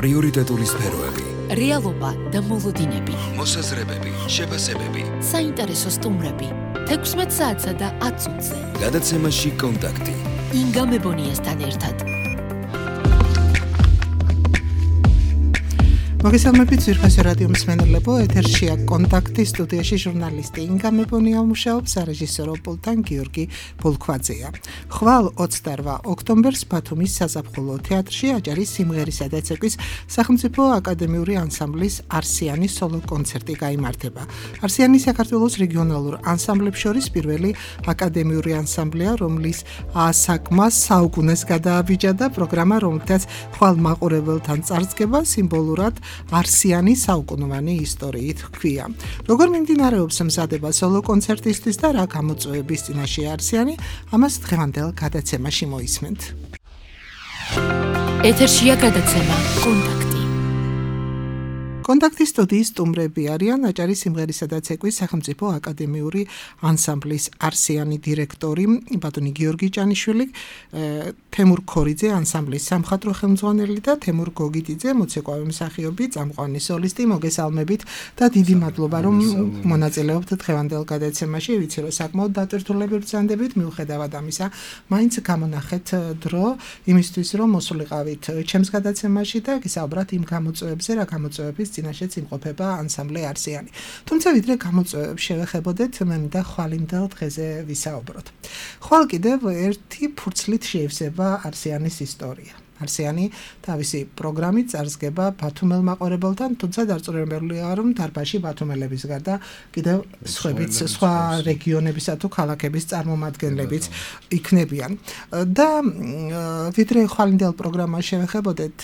პრიორიტეტული სფეროები, რეალობა და მოლოდინები, მოსაზრებები, შეფასებები, საინტერესო სტუმრები, 16 საათსა და 10 წუთზე. გადაცემაში კონტაქტი. ინგა მებონიასთან ერთად. მოგესალმებით ძვირფასო რადიო მსმენელებო, ეთერშია კონტაქტი, სტუდიაში ჟურნალისტი ინგა მებონია მუშაობს, სარეჟისორო პულტთან გიორგი ბოლქვაძეა. ხვალ 28 ოქტომბერს ბათუმის საზაფხულო თეატრში აჭარის სიმღერისა და ცეკვის სახელმწიფო აკადემიური ანსამბლის არსიანი სოლო კონცერტი გაიმართება. არსიანი საქართველოს რეგიონალურ ანსამბლებს შორის პირველი აკადემიური ანსამბლია, რომლის ასაკმას საუკუნეს გადააბიჯა და პროგრამა, რომელთაც ხვალ მაყურებელთან წარსდგება, სიმბოლურად არსიანი საუკუნოვანი ისტორიით ჰქვია. როგორ მიმდინარეობს მზადება სოლო კონცერტისთვის და რა გამოწვევების წინაშე არსიანი, ამას დღევანდელ გადაცემაში მოისმენთ. ეთერშია გადაცემა კონტაქტი. კონტაქტის სტუდიის სტუმრები არიან აჭარის სიმღერისა და ცეკვის სახელმწიფო აკადემიური ანსამბლის არსიანი დირექტორი ბატონი გიორგი ჭანიშვილი, თემურ ქორიძე ანსამბლის სამხატვრო ხელმძღვანელი და თემურ გოგიტიძე მოცეკვავე მსახიობი, წამყვანი სოლისტი. მოგესალმებით და დიდი მადლობა რომ მონაწილეობთ დღევანდელ გადაცემაში. ვიცი რომ საკმაოდ დატვირთულები ბრძანდებით, მიუხედავად ამისა მაინც გამონახეთ დრო იმისთვის რომ მოსულიყავით ჩემს გადაცემაში და გისაუბროთ იმ გამოწვევებზე, რა გამოწვევების წინაშეც იმყოფება ანსამბლე არსიანი. თუმცა ვიდრე გამოწვევებს შევეხებოდეთ, მე მინდა ხვალინდელ დღეზე ვისაუბროთ. ხვალ კიდევ ერთი ფურცლით შეივსება არსიანის ისტორია. არსიანი თავისი პროგრამით წარსდგება ბათუმელ მაყურებელთან, თუმცა დარწმუნებულია რომ დარბაზში ბათუმელების გარდა კიდევ სხვა რეგიონებისა თუ ქალაქების წარმომადგენლებიც იქნებიან. და ვიდრე ხვალინდელ პროგრამას შევეხებოდეთ,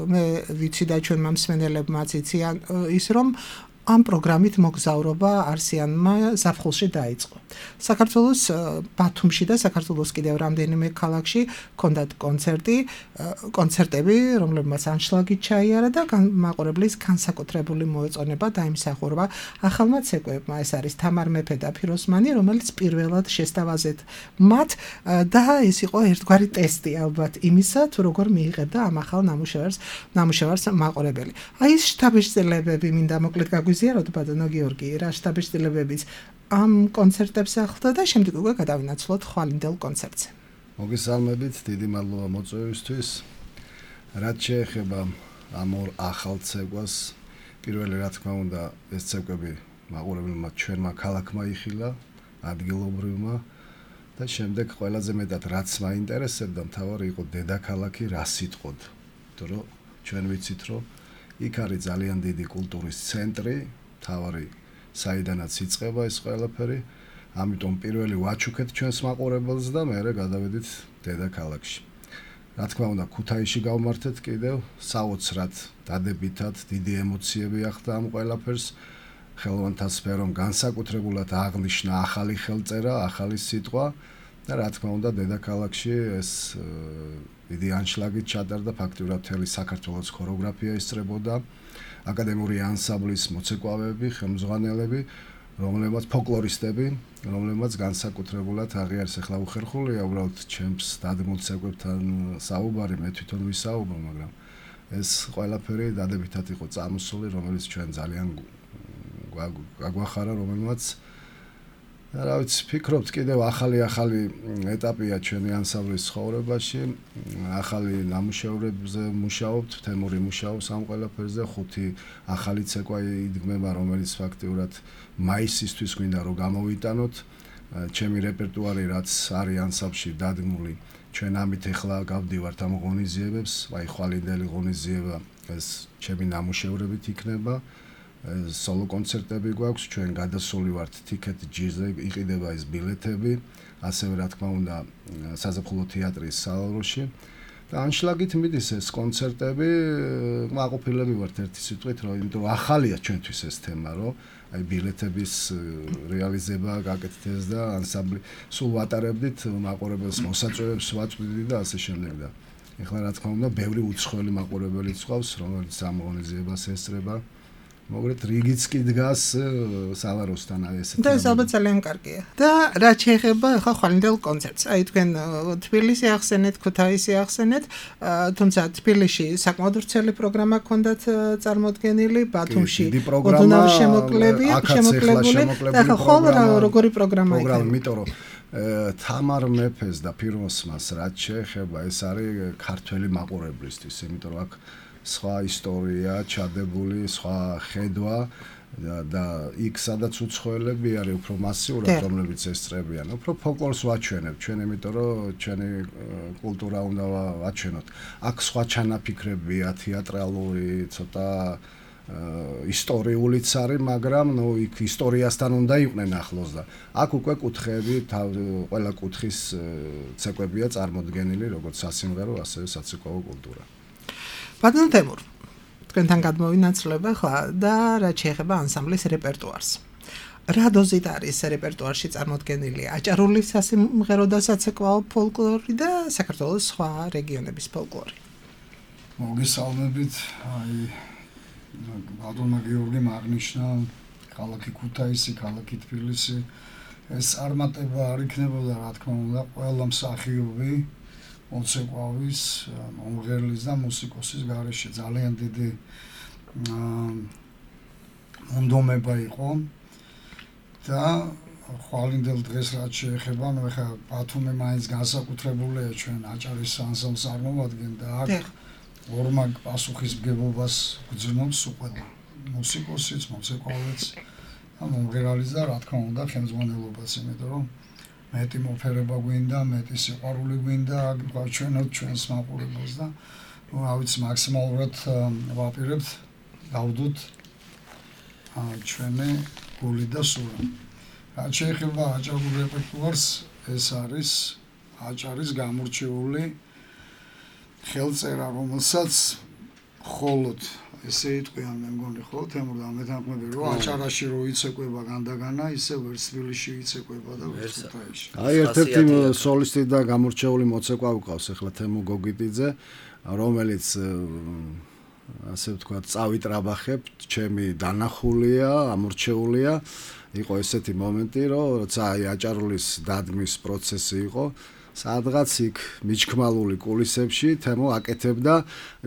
მე ვიცი და ჩვენმა მსმენელებმაც იციან ის რომ ამ პროგრამით მოგზაურობა არსიანმა ზაფხულში დაიწყო. საქართველოს ბათუმში და საქართველოს კიდევ რამდენიმე ქალაქში ჰქონდათ კონცერტები, რომლებმაც ანშლაგით ჩაიარა და მაყურებლის განსაკუთრებული მოეწონება დაიმსახურა ახალმა ცეკვებმა. ეს არის თამარ მეფე და ფიროსმანი, რომელიც პირველად შესთავაზეთ მათ და ეს იყო ერთგვარი ტესტი ალბათ იმისა, თუ როგორ მიიღებდა ამ ახალ ნამუშევარს მაყურებელი. აი ეს შტაბ-შტილებები მინდა მოკლედ გაგვიზიაროთ ბატონო გიორგი, რა შტაბ-შტილებებიც ამ კონცერტებს ახლდა და შემდეგ უკვე გადავინაცვლოთ ხვალინდელ კონცერტზე. მოგესალმებით, დიდი მადლობა მოწვევისთვის. რაც შეეხება ამ ორ ახალ ცეკვას, პირველი რა თქმა უნდა ეს ცეკვები მაყურებელმა ჩვენმა ქალაქმა იხილა, ადგილობრივმა და შემდეგ ყველაზე მეტად რაც მაინტერესებდა, მთავარი იყო დედაქალაქი რა სიტყოდ. რომ ჩვენ ვიცით რომ იქ არის ძალიან დიდი კულტურის ცენტრი, მთავარი საიდანაც იწყება ეს ყველაფერი, ამიტომ პირველი ვაჩუქეთ ჩვენს მაყურებელს და მერე გადავედით დედაქალაქში. რა თქმა უნდა, ქუთაისში გავმართეთ კიდევ, საოცრად დადებითად დიდი ემოციები ახდა ამ ყველაფერს, ხელოვანთა სფერომ განსაკუთრებულად აღნიშნა ახალი ხელწერა, ახალი სიტყვა და რა თქმა უნდა, დედაქალაქში ეს დიდი ანშლაგით ჩატარდა, ფაქტიურად მთელი საქართველოს ქორეოგრაფია ისწრებოდა, აკადემიური ანსამბლის მოცეკვავეები, ხელმძღვანელები, რომლებმაც ფოლკლორისტები, რომლებმაც განსაკუთრებულად აღიარეს. ახლა უხერხულია უბრალოდ ჩემს დადგმულ ცეკვებთან საუბარი, მე თვითონ ვისაუბრო, მაგრამ ეს ყველაფერი დადებითად იყო წამოსული, რომელიც ჩვენ ძალიან გაგვახარა, რომელმაც რა ვიცი, ფიქრობთ კიდევ ახალი ეტაპია ჩვენი ანსამბლის ცხოვრებაში, ახალი ნამუშევრებზე მუშაობთ, თემური მუშაობს ამ ყველაფერზე, 5 ახალი ცეკვა იდგმება, რომელიც ფაქტიურად მაისისთვის გვინდა რომ გამოვიტანოთ. ჩემი რეპერტუარი რაც არის ანსამბლში დადგმული, ჩვენ ამით ახლა გავდივართ ამ ღონისძიებებს, აი ხვალინდელი ღონისძიება ეს ჩემი ნამუშევრებით იქნება. სოლო კონცერტები გვაქვს, ჩვენ გადასული ვართ ტიკეტ ჯირზე, იყიდება ეს ბილეთები, ასევე რა თქმა უნდა საზაფხულო თეატრის სალონში და ანშლაგით მიდის ეს კონცერტები, მაყოფილები ვართ ერთი სიტყვით, იმიტომ რომ ახალია ჩვენთვის ეს თემა, რომ აი ბილეთების რეალიზება გაკეთდეს და ანსამბლი სულ ვატარებდით, მაყურებელს მოსაწვევებს ვაწვდით და ასე შემდეგ და ეხლა რა თქმა უნდა ბევრი უცხოელი მაყურებელიც ყავს, რომელიც ამ ღონისძიებას ესწრება. მოგრეთ რიგიც კი დგას სალაროსთან ესეთი. და ეს ალბათ ძალიან კარგია. და რა შეეხება ახლა ხვალინდელ კონცერტს. აი თქვენ თბილისი ახსენეთ, ქუთაისი ახსენეთ, თუმცა თბილისში sakmod ვრცელი პროგრამა ჰქონდათ წარმოდგენილი, ბათუმში ოდნავ შემოკლებული და ახლა როგორი პროგრამა იქნება? იმიტომ რომ თამარ მეფეს და ფირმოსმას რაც შეეხება ეს არის ქართველი მაყურებლისთვის, იმიტომ რომ აქ სხვა ისტორია ჩადებული, სხვა ხედვა და იქ სადაც უცხოელები არის უფრო მასიურად, რომლებიც ესწრებიან, უფრო ფოლკლორს ვაჩვენებ ჩვენ, იმიტომ რომ ჩვენი კულტურა უნდა ვაჩვენოთ. აქ სხვა ჩანაფიქრებია, თეატრალური, ცოტა ისტორიულიც არის, მაგრამ იქ ისტორიასთან უნდა იყვნენ ახლოს და აქ უკვე კუთხეები, ყველა კუთხის ცეკვებია წარმოდგენილი, როგორც სასიმღერო, ასევე საცეკვაო კულტურა. ბატონ თემურ, თქვენთან გადმოვინაცვლება ხა და რაც შეეხება ანსამბლის რეპერტუარს. რა დოზით არის რეპერტუარში წარმოდგენილი აჭარული სასიმღერო და საცეკვაო ფოლკლორი და საქართველოს სხვა რეგიონების ფოლკლორი? მოგესალმებით, აი ბატონმა გიორგიმ აღნიშნა ქალაქი ქუთაისი, ქალაქი თბილისი. ეს წარმატება არ იქნებოდა, რა თქმა უნდა, ყველა მსახიობი მოცეკვავის, მომღერლის და მუსიკოსის გარეშე ძალიან დიდი მონდომება იყო და ხვალინდელ დღეს რაც შეეხება, ნუ ეხლა ბათუმი მაინც განსაკუთრებულია ჩვენ აჭარის ანსამბლს წარმოვადგენ და აქ ორმაგ პასუხისმგებლობას გძნობს ყველა მუსიკოსიც, მოცეკვავეც და მომღერალიც და რა თქმა უნდა ხელმძღვანელობაც, იმიტომ რომ მეტი მოფერება გვინდა, მეტი სიყვარული გვინდა, გვაჩვენოთ ჩვენს მაყურებელს და რა ვიცი მაქსიმალურად ვაპირებთ გავდოთ ჩვენი გული და სურვილი. რაც შეეხება აჭარულ რეპერტუარს, ეს არის აჭარის გამორჩეული ხელწერა, რომელსაც მხოლოდ ესე იტყვიან, მე მგონი ხო, თემურ და მეთანხმები, რომ აჭარაში რო იცეკვება განდაგანა, ისე ვერც თბილისში იცეკვება და ვერც ქუთაისში. აი ერთ-ერთი სოლისტი და გამორჩეული მოცეკვავი ყავს ახლა თემო გოგიტიძე, რომელიც ასე ვთქვათ, წავიტრაბახებ, ჩემი დანახულია, ამორჩეულია. იყო ესეთი მომენტი, რომ როცა აი აჭარულის დადგმის პროცესი იყო, სადღაც იქ მიჩქმალული კულისებში თემო აკეთებდა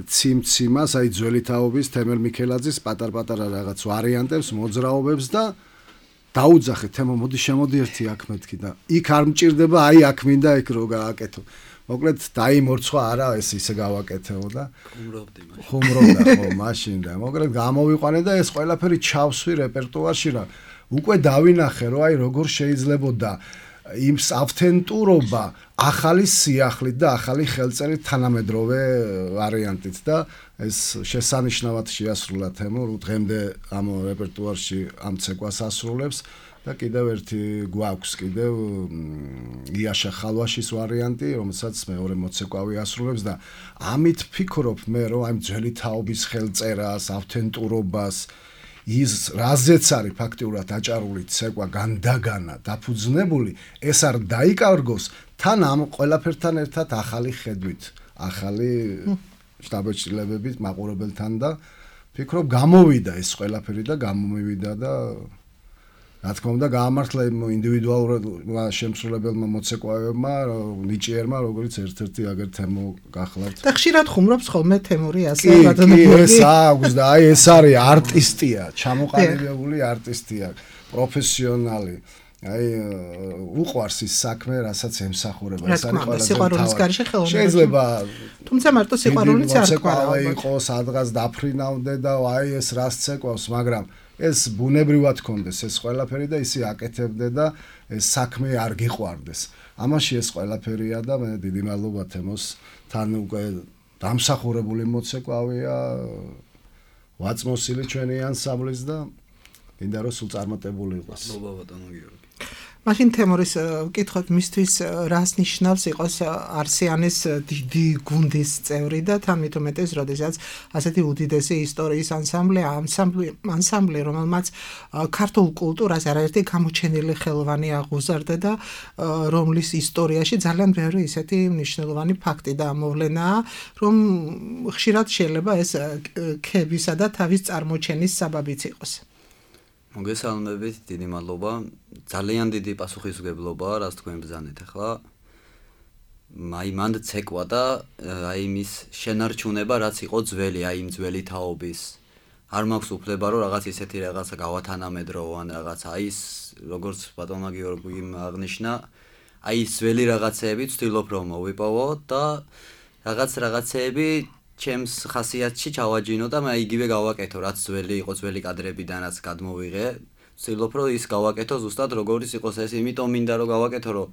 ციმციმას, აი ძველი თაობის თემელ მიქელაძის პატარ-პატარა რაღაც ვარიანტებს, მოძრაობებს და დაუძახე თემო, მოდი შემოდი ერთი აქ მეთქი და იქ არ მჭირდება, აი აქ მინდა იქ რო გააკეთო. მოკლედ დაიმორცხვა არა, ეს ისე გავაკეთეო და ხუმრობდა ხო მაშინ და მოკლედ გამოვიყვანე და ეს ყველაფერი ჩავსვი რეპერტუარში რა. უკვე დავინახე რომ აი როგორ შეიძლებოდა იმ ავთენტურობა ახალი სიახლით და ახალი ხელწერით თანამედროვე ვარიანტით და ეს შესანიშნავად შეასრულა თემო, დღემდე ამ რეპერტუარში ამ ცეკვას ასრულებს და კიდევ ერთი გვაქვს კიდევ იაშა ხალვაშის ვარიანტი, რომელსაც მეორე მოცეკვავი ასრულებს და ამით ვფიქრობ მე რომ აი ძველი თაობის ხელწერას, ავთენტურობას ის რაზეც არის ფაქტიურად აჭარული ცეკვა განდაგანა დაფუძნებული, ეს არ დაიკარგოს თან ამ ყველაფერთან ერთად ახალი ხედვით, ახალი შთაბეჭდილებებით მაყურებელთან და ვფიქრობ გამოვიდა ეს ყველაფერი და გამომივიდა და რა თქმა უნდა გაამართლა იმ ინდივიდუალურად შემსრულებელმა მოცეკვავებმა, ნიჭიერმა, როგორც ერთ-ერთი აგერ თემო გახლავთ. და ხშირად ხუმრობს ხოლმე თემური ასე ბატონო. ეს აქვს და აი ეს არის არტისტია, ჩამოყალიბებული არტისტია, პროფესიონალი. აი უყვარს ის საქმე, რასაც ემსახურება. ეს არის ყველა სიყვარულის გარეშე ხელოვნება. შეიძლება თუმცა მარტო სიყვარულიც არ თქვა. იყო სადღაც დაფრინავდე და აი ეს რას ცეკვავს, მაგრამ ეს ბუნებრივად კონდეს ეს ყველაფერი და ისე აკეთებდე და ეს საქმე არ გიყვარდეს. ამაში ეს ყველაფერია და მე დიდი მადლობა თემოს თან უკვე დამსახურებული მოცეკვავია, ვაწმოსილი ჩვენი ანსამბლის და მინდა რომ სულ წარმატებული იყოს. მადლობა ბატონო გიორგი. მაშინ თემურის ვკითხოთ მისთვის რას ნიშნავს იყოს არსიანის დიდი გუნდის წევრი და თან მით უმეტეს, როდესაც ასეთი უდიდესი ისტორიის ანსამბლი, რომელმაც ქართულ კულტურას არაერთი გამოჩენილი ხელოვანი აღუზარდა და რომლის ისტორიაში ძალიან ბევრი ისეთი მნიშვნელოვანი ფაქტი და მოვლენაა, რომ ხშირად შეიძლება ეს ქებისა და თავის წარმოჩენის საბაბიც იყოს. მოგესალმებით, დიდი მადლობა. ძალიან დიდი პასუხისმგებლობაა, რაც თქვენ ბრძანეთ ახლა. მანდ ცეკვა და იმის შენარჩუნება, რაც იყო ძველი, იმ ძველი თაობის. არ მაქვს უფლება, რომ რაღაც ისეთი რაღაცა გავათანამედრო ან რაღაცა ის, როგორც ბატონმა გიორგიმ აღნიშნა, ის ძველი რაღაცეები ვცდილობ რომ მოვიპოვო და რაღაცეები ჩემს ხასიათში ჩავაჯინო და მე იგივე გავაკეთო, რაც ძველი იყო, ძველი კადრებიდან რაც გადმოვიღე. ვცდილობ რომ ის გავაკეთო ზუსტად როგორც იყოს ეს, იმიტომ მინდა რომ გავაკეთო, რომ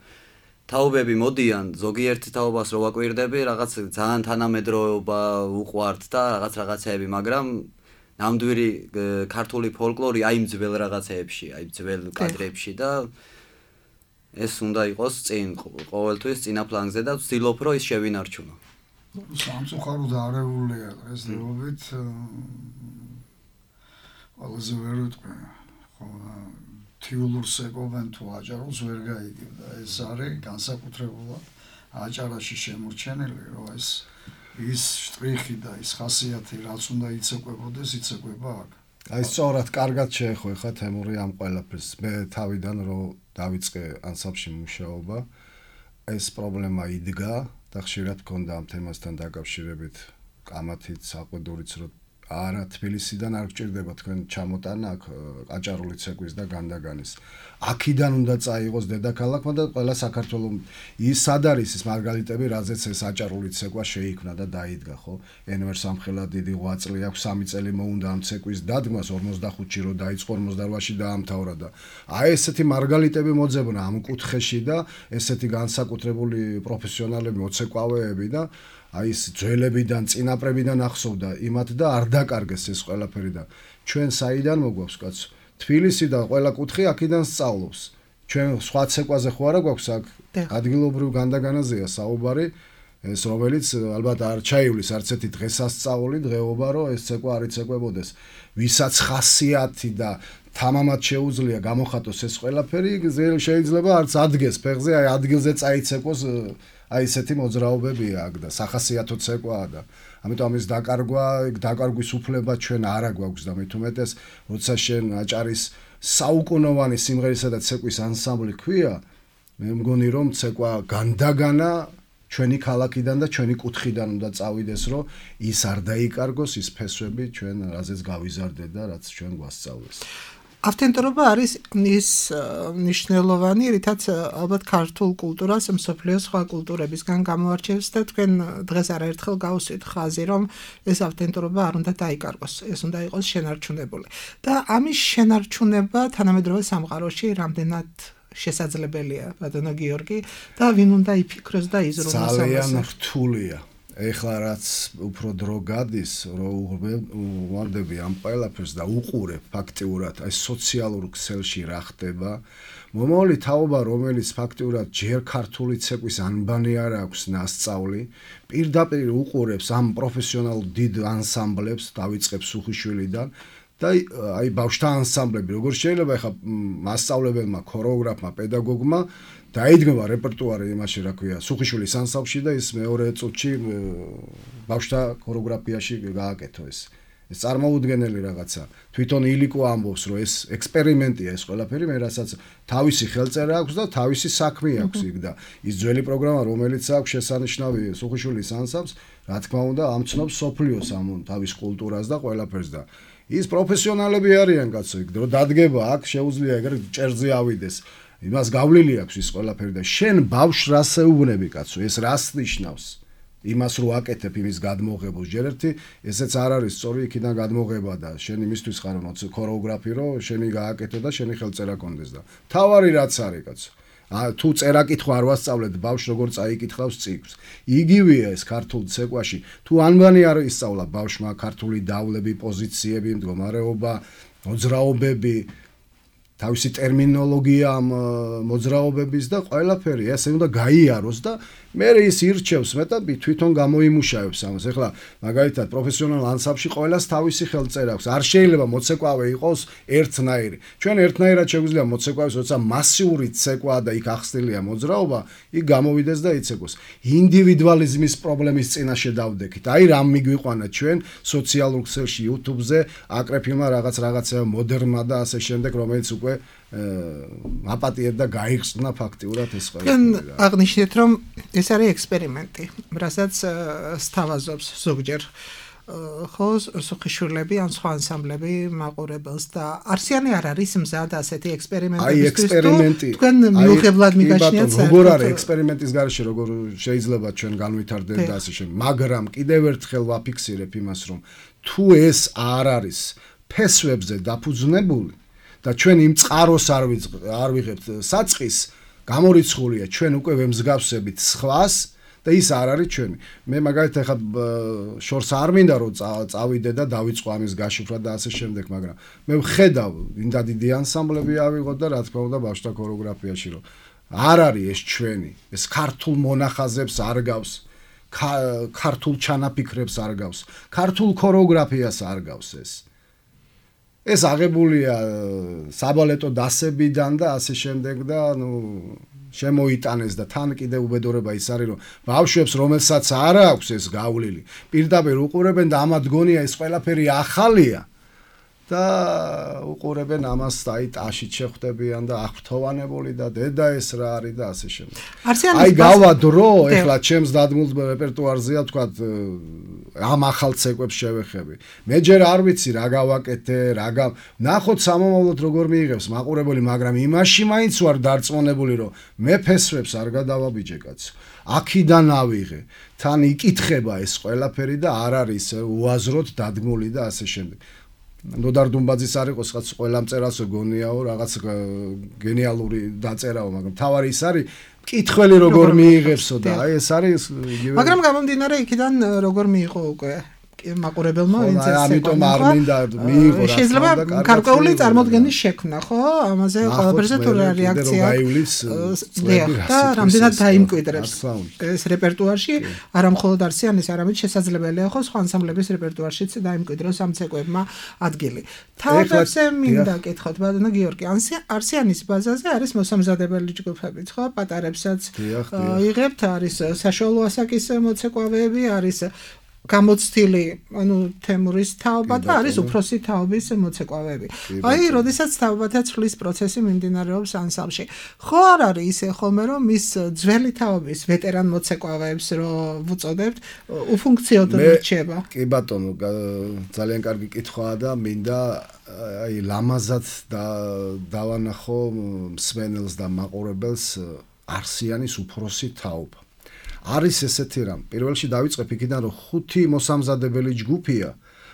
თაობები მოდიან, ზოგიერთ თაობას რო ვაკვირდები, რაღაც ძალიან თანამედროვეობა უყვართ და რაღაცეები, მაგრამ ნამდვილი ქართული ფოლკლორი იმ ძველ რაღაცეებში, ძველ კადრებში და ეს უნდა იყოს წინ ყოველთვის წინა პლანზე და ვცდილობ რომ ის შევინარჩუნო. სამწუხაროდ არეულია დღესდღეობით ყველაზე ვერ ვიტყვი, ხო თიულურს ეკობენ თუ აჭარულს ვერ გაიგებ და ეს არის განსაკუთრებულად აჭარაში შემორჩენილი, რომ ის შტრიხი და ის ხასიათი რაც უნდა იცეკვებოდეს, იცეკვება აქ. აი სწორად კარგად შეეხო თემური ამ ყველაფერს. მე თავიდან რომ დავიწყე ანსამბლში მუშაობა, ეს პრობლემა იდგა და ხშირად მქონდა ამ თემასთან დაკავშირებით კამათით, საყვედურიც, რომ არა თბილისიდან არ გჭირდება თქვენ ჩამოტანა აქ აჭარული ცეკვის და განდაგანის. აქედან უნდა წაიღოს დედაქალაქმა და ყველა საქართველოს ის სად არის ის მარგალიტები, რაზეც ეს აჭარული ცეკვა შეიქმნა და დაიდგა, ხო? ენვერ სამხელა დიდი ღვაწლი აქვს, 3 წელი მოუნდა ამ ცეკვის დადგმას, 45-ში რო დაიწყო, 48-ში დაამთავრა და აი ესეთი მარგალიტები მოძებნა ამ კუთხეში და ესეთი განსაკუთრებული პროფესიონალები, მოცეკვავეები და აი ეს ძველებიდან, წინაპრებიდან ახსოვდა იმათ და არ დაკარგეს ეს ყველაფერი და ჩვენ საიდან მოგვაქვს კაცო? თბილისი და ყველა კუთხე აქედან სწავლობს. ჩვენ სხვა ცეკვაზე ხო არა გვაქვს აქ ადგილობრივ განდაგანაზეა საუბარი, ეს რომელიც ალბათ არ ჩაივლის არც ერთი დღესასწაული, დღეობა რომ ეს ცეკვა არ იცეკვებოდეს. ვისაც ხასიათი და თამამად შეუძლია გამოხატოს ეს ყველაფერი, შეიძლება არც ადგეს ფეხზე, აი ადგილზე წაიცეკვოს აი ესეთი მოძრაობებია აქ და სახასიათო ცეკვაა და ამიტომ ამის დაკარგვის უფლება ჩვენ არა გვაქვს და მით უმეტეს როცა შენ აჭარის საუკუნოვანი სიმღერისა და ცეკვის ანსამბლი ქვია, მე მგონი რომ ცეკვა განდაგანა ჩვენი ქალაქიდან და ჩვენი კუთხიდან უნდა წავიდეს, რომ ის არ დაიკარგოს ის ფესვები ჩვენ რაზეც გავიზარდეთ და რაც ჩვენ გვასწავლეს. ავთენტურობა არის ის მნიშვნელოვანი, რითაც ალბათ ქართულ კულტურას მსოფლიოს სხვა კულტურებისგან გამოარჩევს და თქვენ დღეს არაერთხელ გავუსვით ხაზი, რომ ეს ავთენტურობა არ უნდა დაიკარგოს, ეს უნდა იყოს შენარჩუნებული. და ამის შენარჩუნება თანამედროვე სამყაროში რამდენად შესაძლებელია, ბატონო გიორგი, და ვინ უნდა იფიქროს და იზრუნოს ამას? ძალიან რთულია. ეხლა რაც უფრო დრო გადის, რომ უვარდები ამ ყველაფერს და უყურებ ფაქტიურად აი სოციალურ ქსელში რა ხდება, მომავალი თაობა, რომელიც ფაქტიურად ჯერ ქართული ცეკვის ანბანი არ აქვს ნასწავლი, პირდაპირ უყურებს ამ პროფესიონალ დიდ ანსამბლებს, დავიწყებ სუხიშვილიდან და აი ბავშვთა ანსამბლები, როგორ შეიძლება ეხლა მასწავლებელმა, ქორეოგრაფმა, პედაგოგმა დაიდგება რეპერტუარი იმაში, რა ქვია, სუხიშვილის ანსამბლში და ის მეორე წუთში ბავშვთა ქორეოგრაფიაში გააკეთო ეს. ეს წარმოუდგენელი რაღაცა. თვითონ ილიკო ამბობს, რომ ეს ექსპერიმენტია ეს ყველაფერი, მე რასაც თავისი ხელწერა აქვს და თავისი საქმე აქვს იქ და ის ძველი პროგრამა, რომელიც აქვს შესანიშნავი სუხიშვილის ანსამბლს, რა თქმა უნდა, ამცნობს სოფლიოს ამ თავის კულტურას და ყველაფერს და ის პროფესიონალები არიან კაცო, იქ რომ დადგება აქ შეუძლია ეგრე ჭერზე ავიდეს. იმას გავლილი აქვს ის ყველაფერი და შენ ბავშვს რას ეუბნები კაცო, ეს რას ნიშნავს? იმას რო აკეთებ იმის გადმოღებას ჯერ ერთი ესეც არ არის სწორი იქიდან გადმოღება და შენ იმისთვის ხარ ქორეოგრაფი რომ შენი გააკეთო და შენი ხელწერა კონდეს და თავარი რაც არის კაცო. თუ წერა კითხვა არ ვასწავლეთ ბავშვს როგორ წაიკითხავს წიგნს. იგივეა ეს ქართულ ცეკვაში. თუ ანბანი არ ისწავლა ბავშვმა ქართული დავლები, პოზიციები, მდგომარეობა, მოძრაობები თავისი ტერმინოლოგია ამ მოძრაობების და ყველაფერი ესე უნდა გაიაროს და მე ის ირჩევს მეტად თვითონ გამოიმუშავებს ამას. ეხლა მაგალითად პროფესიონალ ანსამბლში ყველას თავისი ხელწერა აქვს. არ შეიძლება მოცეკვავე იყოს ერთნაირი. ჩვენ ერთნაირად შეგვიძლია მოცეკვავის, როცა მასიური ცეკვაა და იქ ახსნილია მოძრაობა, იქ გამოვიდეს და იცეკვოს. ინდივიდუალიზმის პრობლემის წინაშე დავდექით. აი რამ მიგვიყვანა ჩვენ სოციალურ ქსელში, YouTube-ზე აკრეფილმა რაღაცა მოდერნმა და ასე შემდეგ, რომელიც უკვე აპატიებ და გაიხსნა ფაქტიურად ეს ყველაფერი. აღნიშნეთ რომ ეს არის ექსპერიმენტი, რასაც სთავაზობს ზოგჯერ ხო სოხიშვილები ან სხვა ანსამბლები მაყურებელს და არსიანი არ არის მზად ასეთი ექსპერიმენტებისთვის. თქვენ მიუღებლად მიგაშნიათ როგორ არის ექსპერიმენტის გარეშე როგორ შეიძლება ჩვენ განვითარდეთ და ასე შემდეგ. მაგრამ კიდევ ერთხელ ვაფიქსირებ იმას რომ თუ ეს არ არის ფესვებზე დაფუძნებული და ჩვენ იმ წყაროს არ ვიღებთ საწყის გამორიცხულია ჩვენ უკვე ვემსგავსებით სხვას და ის არ არის ჩვენი. მე მაგალითად ახლა შორს არ მინდა რომ წავიდე და დავიწყო ამის გაშიფრვა და ასე შემდეგ, მაგრამ მე ვხედავ ინდა დიდი ანსამბლები ავიღოთ და რა თქმა უნდა ბავშვთა ქორეოგრაფიაში რომ არ არის ეს ჩვენი, ეს ქართულ მონახაზებს არ გავს, ქართულ ჩანაფიქრებს არ გავს, ქართულ ქორეოგრაფიას არ გავს ეს. ეს აღებულია საბალეტო დასებიდან და ასე შემდეგ და შემოიტანეს და თან კიდევ უბედურება ის არის რომ ბავშვებს რომელსაც არ აქვს ეს გავლილი პირდაპირ უყურებენ და ამათ გონია ეს ყველაფერი ახალია და უყურებენ ამას აი ტაშით შეხვდებიან და აღფრთოვანებული და დედა ეს რა არის და ასე შემდეგ. აი გავა დრო ეხლა ჩემს დადგმულ რეპერტუარზეა თქვა ამ ახალ ცეკვებს შევეხები. მე ჯერ არ ვიცი რა გავაკეთე, ნახოთ სამომავლოდ როგორ მიიღებს მაყურებელი, მაგრამ იმაში მაინც ვარ დარწმუნებული რომ მე ფესვებს არ გადავაბიჯე კაცო. აქედან ავიღე. თან იკითხება ეს ყველაფერი და არ არის უაზროდ დადგმული და ასე შემდეგ. ნოდარ დუმბაძის არ იყოს რაღაც ყველა მწერალს გონიაო რაღაც გენიალური დაწერაო, მაგრამ თავარი ის არის მკითხველი როგორ მიიღებსო და აი ეს არის მაგრამ გამომდინარე იქიდან როგორ მიიღო უკვე მაყურებელმა ვინც ეს ამიტომ არ მინდა მიიღო რა შეიძლება გარკვეული წარმოდგენის შექმნა ხო ამაზე ყველაფერზე თუ რეაქცია და რამდენად დაიმკვიდრებს ეს რეპერტუარში არა მხოლოდ არსიანის არამედ შესაძლებელია ხო სხვა ანსამბლების რეპერტუარშიც დაიმკვიდროს ამ ცეკვებმა ადგილი თავებზე მინდა კითხოთ ბატონო გიორგი არსიანის ბაზაზე არის მოსამზადებელი ჯგუფებიც ხო პატარებსაც იღებთ არის საშუალო ასაკის მოცეკვავეები არის გამოცდილი ანუ თემურის თაობა და არის უფროსი თაობის მოცეკვავეები. აი, როდესაც თაობათა ცვლის პროცესი მიმდინარეობს ანსამბლში. ხო არ არის ისე ხოლმე რომ ის ძველი თაობის ვეტერან მოცეკვავეებს რო ვუწოდებთ, უფუნქციოდ რჩება. კი ბატონო, ძალიან კარგი კითხვაა და მინდა აი ლამაზად დავანახო მსმენელს და მაყურებელს არსიანის უფროსი თაობა. არის ესეთი რამ. პირველ რიგში დავიწყებ იქიდან რომ 5 მოსამზადებელი ჯგუფია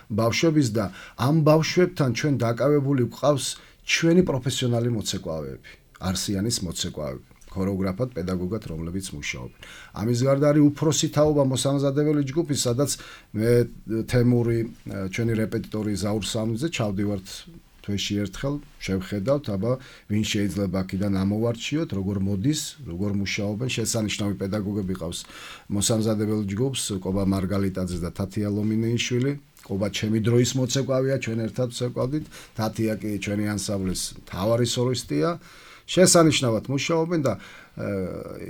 ბავშვების და ამ ბავშვებთან ჩვენ დაკავებული გვყავს ჩვენი პროფესიონალი მოცეკვავეები, არსიანის მოცეკვავეები, ქორეოგრაფად, პედაგოგად, რომლებიც მუშაობენ. ამის გარდა არის უფროსი თაობა მოსამზადებელი ჯგუფი, სადაც მე თემური ჩვენი რეპეტიტორი ზაურ სამიძე ჩავდივართ თვეში ერთხელ შევხედავთ, აბა ვინ შეიძლება აქედან ამოვარჩიოთ, როგორ მოდის, როგორ მუშაობენ, შესანიშნავი პედაგოგები ყავს მოსამზადებელ ჯგუფს, კობა მარგალიტაძე და თათია ლომინეიშვილი, კობა ჩემი დროის მოცეკვავია, ჩვენ ერთად ვცეკვავდით, თათია კი ჩვენი ანსამბლის მთავარი სოლისტია, შესანიშნავად მუშაობენ და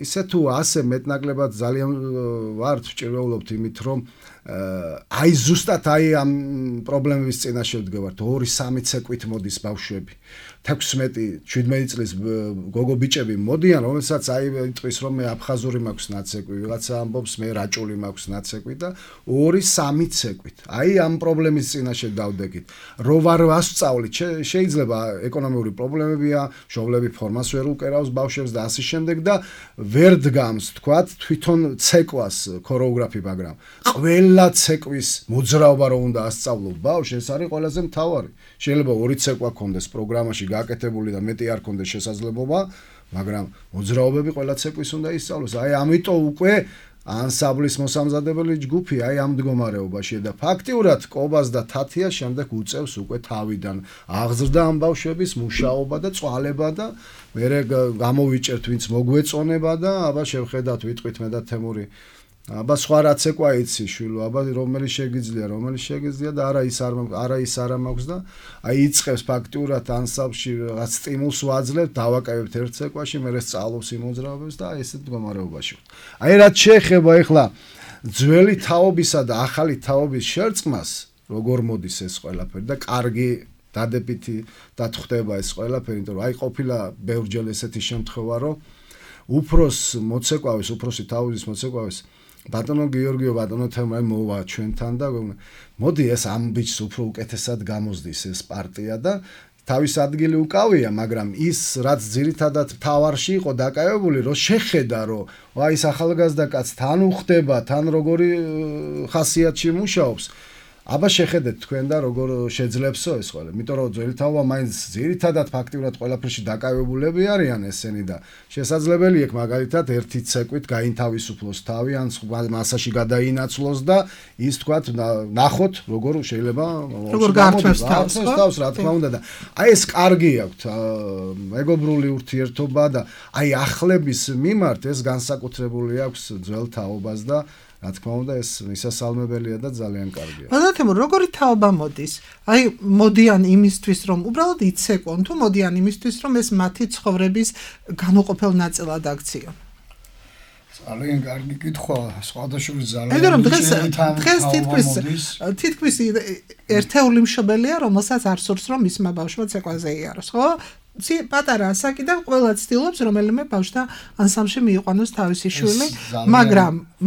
ისე თუ ასე მეტნაკლებად ძალიან ვართ ვჭირვეულობთ იმით რომ აი ზუსტად აი ამ პრობლემების წინაშე ვდგევართ 2-3 ცეკვით მოდის ბავშვები 16-17 წლის გოგო ბიჭები მოდიან რომელსაც აი იტყვის რომ მე აფხაზური მაქვს ნაცეკვი ვიღაცა ამბობს მე რაჭული მაქვს ნაცეკვი და 2-3 ცეკვით აი ამ პრობლემის წინაშე დავდექით რო ვარ ვასწავლით შეიძლება ეკონომიური პრობლემებია მშობლები ფორმას ვერ უკერავს ბავშვებს და ასე შემდეგ და ვერ დგამს თქვათ თვითონ ცეკვას ქორეოგრაფი მაგრამ ყველა ცეკვის მოძრაობა რო უნდა ასწავლო ბავშვს ეს არის ყველაზე მთავარი შეიძლება 2 ცეკვა ქონდეს პროგრამაში გაკეთებული და მეტი არ ქონდეს შესაძლებლობა მაგრამ მოძრაობები ყველა ცეკვის უნდა ისწავლოს აი ამიტომ უკვე ანსამბლის მოსამზადებელი ჯგუფი აი ამ მდგომარეობაშია და ფაქტიურად კობას და თათია შემდეგ უწევს უკვე თავიდან აღზრდა ამ ბავშვების მუშაობა და წვალება და მერე გამოვიჭერთ ვინც მოგვეწონება და აბა შევხედათ ვიტყვით მე და თემური აბა სხვა რაც ეკვა იცი შვილო აბა რომელიც შეგიძლია და არა ის არ მაქვს და აი იწყებს ფაქტიურად ანსამბლში რაც სტიმულს ვაძლევთ დავაკავებთ ერთ ცეკვაში მერე სწავლობს იმოძრავებს და აი ესეთ მდგომარეობაში აი რაც შეეხება ეხლა ძველი თაობისა და ახალი თაობის შერწყმას როგორ მოდის ეს ყველაფერი და კარგი დადებითი დათხვდება ეს ყველაფერი იმიტომ რომ აი ყოფილა ბევრჯერ ესეთი შემთხვევა რომ უფროსი თაობის მოცეკვავის ბატონო გიორგიო ბატონო თემაი მოვა ჩვენთან და მოდი ეს ამ ბიჭს უფრო უკეთესად გამოსდის ეს პარტია და თავის ადგილი უკავია მაგრამ ის რაც ძირითადად თავარში იყო დაკავებული რომ შეხედა რომ აი ეს ახალგაზრდა კაცს თან უხდება თან როგორი ხასიათში მუშაობს აბა შეხედეთ თქვენ და როგორ შეძლებსო ეს ყველა. იმიტომ რომ ძველი თაობა მაინც ძირითადად ფაქტიურად ყველაფერში დაკავებულები არიან ესენი და შესაძლებელი იქ მაგალითად ერთი ცეკვით გაინთავისუფლოს თავი ან მასაში გადაინაცვლოს და ის თქვათ ნახოთ როგორ შეიძლება როგორ გაართვევს თავს რა თქმა უნდა და აი ეს კარგი აქვთ მეგობრული ურთიერთობა და აი ახლების მიმართ ეს განსაკუთრებული აქვს ძველ თაობას და რა თქმა უნდა ეს მისასალმებელია და ძალიან კარგია. ბატონო, როგორი თაობა მოდის? აი მოდიან იმისთვის რომ უბრალოდ იცეკონ თუ მოდიან იმისთვის რომ ეს მათი ცხოვრების განუყოფელ ნაწილად აქციონ? ძალიან კარგი კითხვა, სხვადასხვა ძალიან. მაგრამ დღეს თითქმის ერთეული მშობელია, რომელსაც არ სურს რომ მისმა ბავშვმა ცეკვაზე იაროს, ხო? პატარა ასაკი და ყველა ცდილობს რომელიმე ბავშვთა ანსამბლში მიიყვანოს თავისი შვილი,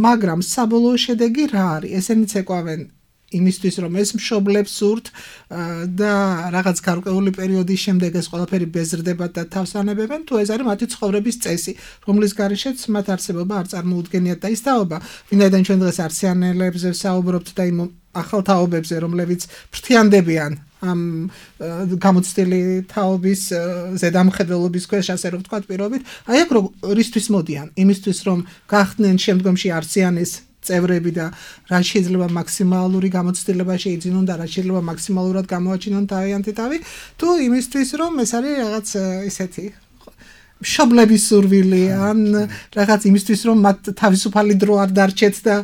მაგრამ საბოლოო შედეგი რა არის? ესენი ცეკვავენ იმისთვის რომ ეს მშობლებს სურთ და რაღაც გარკვეული პერიოდის შემდეგ ეს ყველაფერი ბეზრდება და თავს ანებებენ თუ ეს არის მათი ცხოვრების წესი რომლის გარეშეც მათ არსებობა არ წარმოუდგენიათ და ის თაობა ვინაიდან ჩვენ დღეს არსიანელებზე ვსაუბრობთ და იმ ახალ თაობებზე რომლებიც ფრთიანდებიან ამ გამოცდილი თაობის ზედამხედველობის ქვეშ ასე რომ ვთქვათ პირობით აი აქ რისთვის მოდიან იმისთვის რომ გახდნენ შემდგომში არსიანის წევრები და რა შეიძლება მაქსიმალური გამოცდილება შეიძინონ და რა შეიძლება მაქსიმალურად გამოაჩინონ თავიანთი თავი თუ იმისთვის რომ ეს არის რაღაც ისეთი მშობლების სურვილი ან რაღაც იმისთვის რომ მათ თავისუფალი დრო არ დარჩეთ და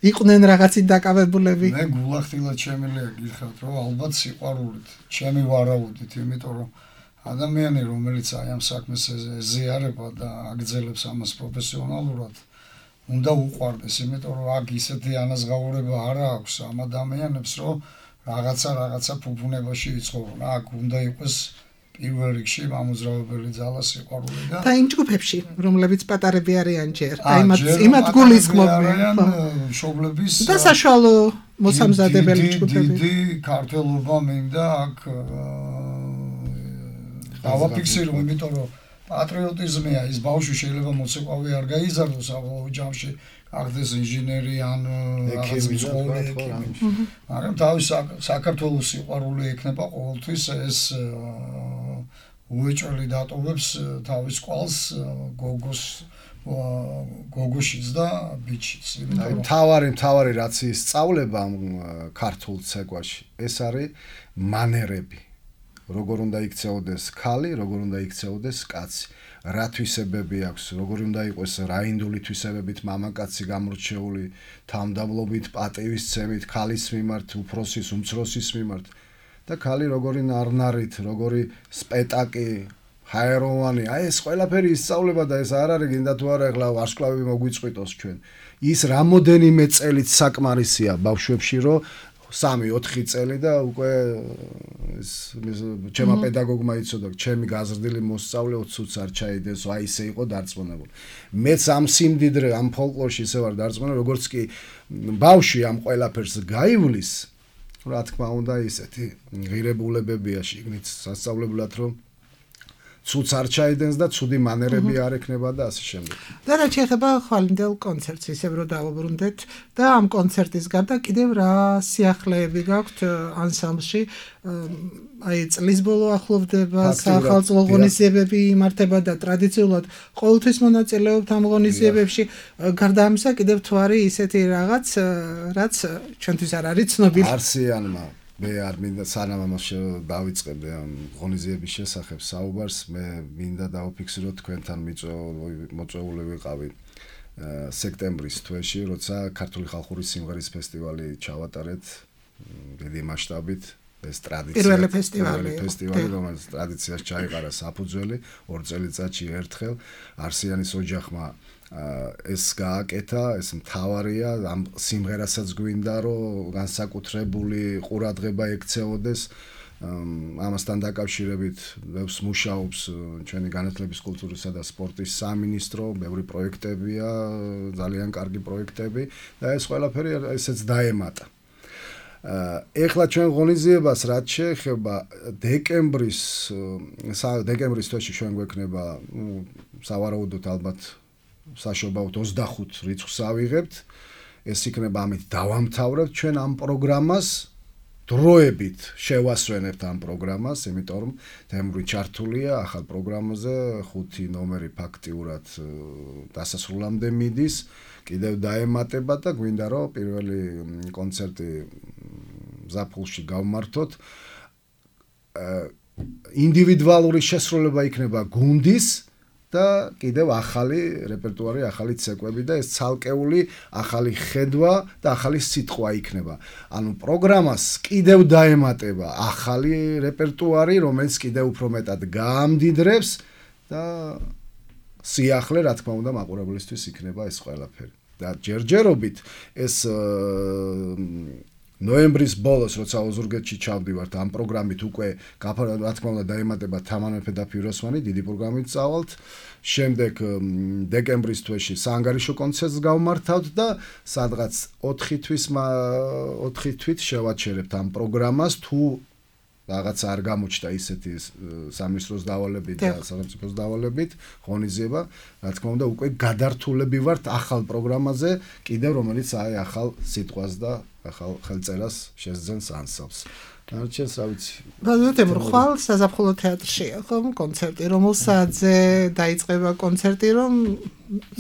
იყვნენ რაღაცით დაკავებულები მე გულახდილად შემიძლია გითხრათ რომ ალბათ სიყვარულით ჩემი ვარაუდით იმიტომ რომ ადამიანი რომელიც აი ამ საქმეს ეზიარება და აგრძელებს ამას პროფესიონალურად უნდა უყვარდეს, იმიტომ რომ აქ ისეთი ანაზღაურება არ აქვს ამ ადამიანებს, რომ რაღაცა ფუფუნებაში იცხოვრონ. აქ უნდა იყოს პირველ რიგში მამოძრავებელი ძალა სიყვარული და იმ ჯგუფებში, რომლებიც პატარები არიან ჯერ, იმათ გულისხმობენ მშობლების და საშუალო მოსამზადებელი ჯგუფები. დიდი ქართველობა მინდა აქ დავაფიქსირო, იმიტომ რომ პატრიოტიზმია ის ბავშვი შეიძლება მოცეკვავი არ გაიზარდოს ამავე ჯამში გახდეს ინჟინერი ან რაღაც მცხოვრები მაგრამ თავის საქართველოს სიყვარული ექნება ყოველთვის ეს უეჭველი დატოვებს თავის ყვალს გოგოშიც და ბიჭიც თავარი რაც ისწავლება ამ ქართულ ცეკვაში ეს არის მანერები როგორ უნდა იქცეოდეს ქალი, როგორ უნდა იქცეოდეს კაცი, რა თვისებები აქვს, როგორ უნდა იყოს რაინდული თვისებებით მამაკაცი გამორჩეული თავმდაბლობით, პატივისცემით, ქალის მიმართ, უფროსის, უმცროსის მიმართ და ქალი როგორი ნარნარით, როგორი სპეტაკი, ჰაეროვანი, აი ეს ყველაფერი ისწავლება და ეს არ არის გინდა თუ არა ეხლა ვარსკვლავები მოგვიწყვიტოს ჩვენ. ის რამოდენიმე წელით საკმარისია ბავშვებში, რომ 3-4 წელი და უკვე ჩემმა პედაგოგმა იცოდა, ჩემი გაზრდილი მოსწავლე 20 წუთს არ ჩაიდეს, აი ისე იყო დარწმუნებული. მეც ამ სიმდიდრე, ამ ფოლკლორში ისე ვარ დარწმუნებული, როგორც კი ბავშვი ამ ყველაფერს გაივლის, რა თქმა უნდა ისეთი ღირებულებებია შიგნით სასწავლებლად, რომ ცუდს არ ჩაიდენს და ცუდი მანერები არ ექნება და ასე შემდეგ. და რაც შეეხება ხვალინდელ კონცერტს, ისევ რომ დავუბრუნდეთ და ამ კონცერტის გარდა კიდევ რა სიახლეები გაქვთ ანსამბლში? აი წლის ბოლო ახლოვდება, სახალხო ღონისძიებები იმართება და ტრადიციულად ყოველთვის მონაწილეობთ ამ ღონისძიებებში. გარდა ამისა კიდევ თუ არის ისეთი რაღაც, რაც ჩვენთვის არ არის ცნობილი. არსიანმა მე არ მინდა სანამ ამას დავიწყებდე ამ ღონისძიების შესახებ საუბარს, მე მინდა დავფიქსიროთ თქვენთან მოწვეული ვიყავი სექტემბრის თვეში, როცა ქართული ხალხური სიმღერის ფესტივალი ჩავატარეთ დიდი მასშტაბით. ეს პირველი ფესტივალი, რომელიც ტრადიციას ჩაიყარა საფუძველი 2 წელიწადში ერთხელ არსიანის ოჯახმა ეს გააკეთა, ეს მთავარია, ამ სიმღერასაც გვინდა, რომ განსაკუთრებული ყურადღება ექცეოდეს. ამასთან დაკავშირებით ბევრს მუშაობს ჩვენი განათლების, კულტურისა და სპორტის სამინისტრო, ბევრი პროექტებია, ძალიან კარგი პროექტები და ეს ყველაფერი ესეც დაემატა. ეხლა ჩვენ ღონისძიებას რაც შეეხება დეკემბრის თვეში ჩვენ გვექნება სავარაუდოდ ალბათ საშობაოდ 25 რიცხვს ავიღებთ. ეს იქნება ამით დავამთავრებთ ჩვენ ამ პროგრამას, დროებით შევასვენებთ ამ პროგრამას, იმიტომ რომ თემური ჩართულია ახალ პროგრამაზე, 5 ნომერი ფაქტიურად დასასრულამდე მიდის, კიდევ დაემატება და გვინდა რომ პირველი კონცერტი ზაფხულში გავმართოთ. ინდივიდუალური შესრულება იქნება გუნდის და კიდევ ახალი რეპერტუარი, ახალი ცეკვები და ეს ცალკეული ახალი ხედვა და ახალი სიტყვა იქნება. ანუ პროგრამას კიდევ დაემატება ახალი რეპერტუარი, რომელიც კიდევ უფრო მეტად გაამდიდრებს და სიახლე, რა თქმა უნდა, მაყურებლისთვის იქნება ეს ყველაფერი. და ჯერჯერობით ეს ნოემბრის ბოლოს, როცა ოზურგეთში ჩავდივართ, ამ პროგრამით უკვე რა თქმა უნდა დაემატება თამარ მეფე და ფიროსმანი, დიდი პროგრამით წავალთ. შემდეგ დეკემბრის თვეში საანგარიშო კონცერტს გავმართავთ და სადღაც 4 თვით შევაჩერებთ ამ პროგრამას, თუ რაღაც არ გამოჩნდა ისეთი სამინისტროს დავალებით და სახელმწიფოს დავალებით ღონისძიება, რა თქმა უნდა, უკვე გადართულები ვართ ახალ პროგრამაზე, კიდევ რომელიც აი ახალ სიტყვას და ახალ ხელწერას შესძენს ანსამბლს. არჩევს რა ვიცი. ბაზრეთემ ხვალ საზაფხულო თეატრში ხომ კონცერტი, რომელსაც დაიწყება კონცერტი, რომ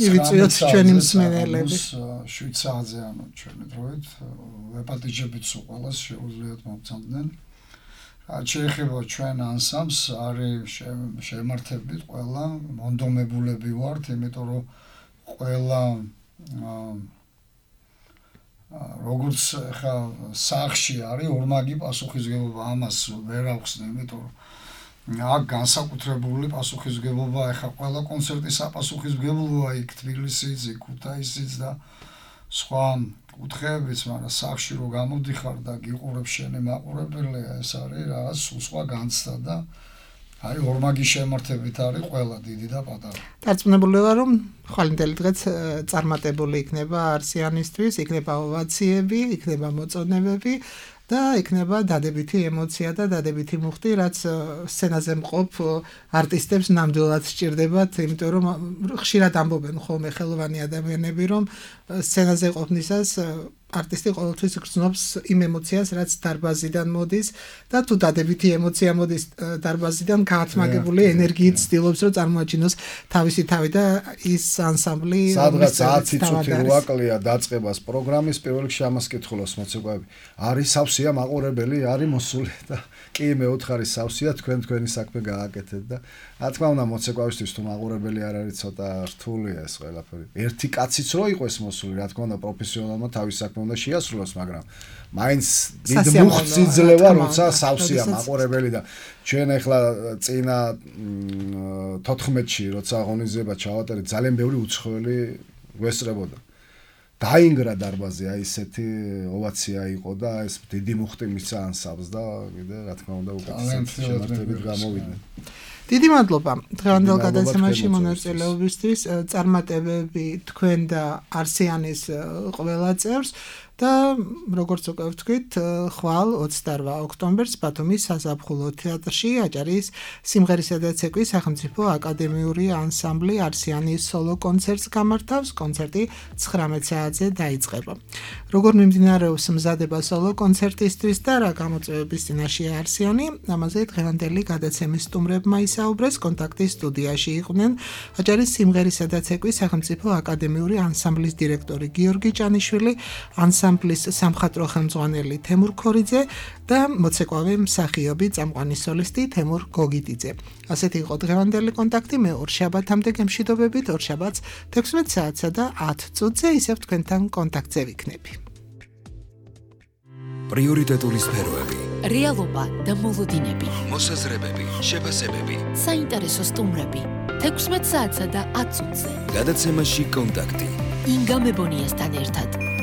მივიწვიოთ ჩვენი მსმენელები. 7 საათზე ანუ ჩვენი დროით ვეპატიჟებით სულ ყველას შეუძლიათ მოგცემდნენ. რაც შეეხება ჩვენ ანსამბლს, არის შემართებით ყველა მონდომებულები ვართ, იმიტომ რომ ყველა როგორც ხა სახში არის ორმაგი პასუხისგებლობა, ამას ვერ ახსნე, იმიტომ რომ აქ განსაკუთრებული პასუხისგებლობა, ხა ყველა კონცერტის საპასუხისგებლოა იქ თბილისიც, იქ ქუთაისიც და სხვა კუთხეებიც, მაგრამ სახში რო გამოდიხარ და გიყურებ შენი მაყურებელი, ეს არის რაღაც სხვა განცდა და აი ორმაგი შემართებით არის ყველა დიდი და პატარა. დარწმუნებული ვარ, რომ ხვალინდელი დღეც წარმატებული იქნება არსიანისთვის, იქნება ოვაციები, იქნება მოწონებები და იქნება დადებითი ემოცია და დადებითი მუხტი, რაც სცენაზე მყოფ არტისტებს ნამდვილად სჭირდებათ, იმიტომ რომ ხშირად ამბობენ ხოლმე ხელოვანი ადამიანები, რომ სცენაზე ყოფნისას არტისტი ყოველთვის გრძნობს იმ ემოციას, რაც დარბაზიდან მოდის და თუ დადებითი ემოცია მოდის დარბაზიდან, გაათმაგებული ენერგიით ცდილობს, რომ წარმოაჩინოს თავისი თავი და ის ანსამბლი სადღაც 10 წუთი როაკლია დაწყებას პროგრამის, პირველ რიგში ამას კითხულობს მოცეკვავები. არის სავსეა მაყურებელი, არის მოსული და კი მე უთხარი სავსეა, თქვენი საქმე გააკეთეთ და რა თქმა უნდა მოცეკვავისთვის თუ მაყურებელი არ არის, ცოტა რთულია ეს ყველაფერი. ერთი კაციც რო იყოს მოსული, რა თქმა უნდა პროფესიონალმა თავის საქმე უნდა შეასრულოს, მაგრამ მაინც დიდ მუხტს იძლევა, როცა სავსეა მაყურებელი და ჩვენ ახლა წინა 14-ში, როცა ღონისძიება ჩავატარეთ, ძალიან ბევრი უცხოელი გვესწრებოდა. დაინგრა დარბაზი, აი ესეთი ოვაცია იყო და ეს დიდი მუხტი მისცა ანსამბლს და კიდე რა თქმა უნდა უკეთესად შემართებით გამოვიდნენ. დიდი მადლობა დღევანდელ გადაცემაში მონაწილეობისთვის, წარმატებები თქვენ და არსიანის ყველა წევრს და როგორც უკვე ვთქვით, ხვალ 28 ოქტომბერს ბათუმის საზაფხულო თეატრში აჭარის სიმღერისა და ცეკვის სახელმწიფო აკადემიური ანსამბლი არსიანის სოლო კონცერტს გამართავს. კონცერტი 19 საათზე დაიწყება. როგორ მიმდინარეობს მზადება სოლო კონცერტისთვის და რა გამოწვევების წინაშეა არსიანი, ამაზე დღევანდელი გადაცემის სტუმრებმა ისაუბრეს. კონტაქტის სტუდიაში იყვნენ აჭარის სიმღერისა და ცეკვის სახელმწიფო აკადემიური ანსამბლის დირექტორი გიორგი ჭანიშვილი, ანსამბლის სამხატვრო ხელმძღვანელი თემურ ქორიძე და მოცეკვავე მსახიობი წამყვანი სოლისტი თემურ გოგიდიძე. ასეთი იყო დღევანდელი კონტაქტი. მე ორშაბათამდე გემშვიდობებით, ორშაბათს 16 საათსა და 10 წუთზე ისევ თქვენთან კონტაქტზე ვიქნები. პრიორიტეტული სფეროები, რეალობა და მოლოდინები, მოსაზრებები, შეფასებები. საინტერესო სტუმრები 16 საათსა და 10 წუთზე. გადაცემაში კონტაქტი. ინგა მებონიასთან ერთად.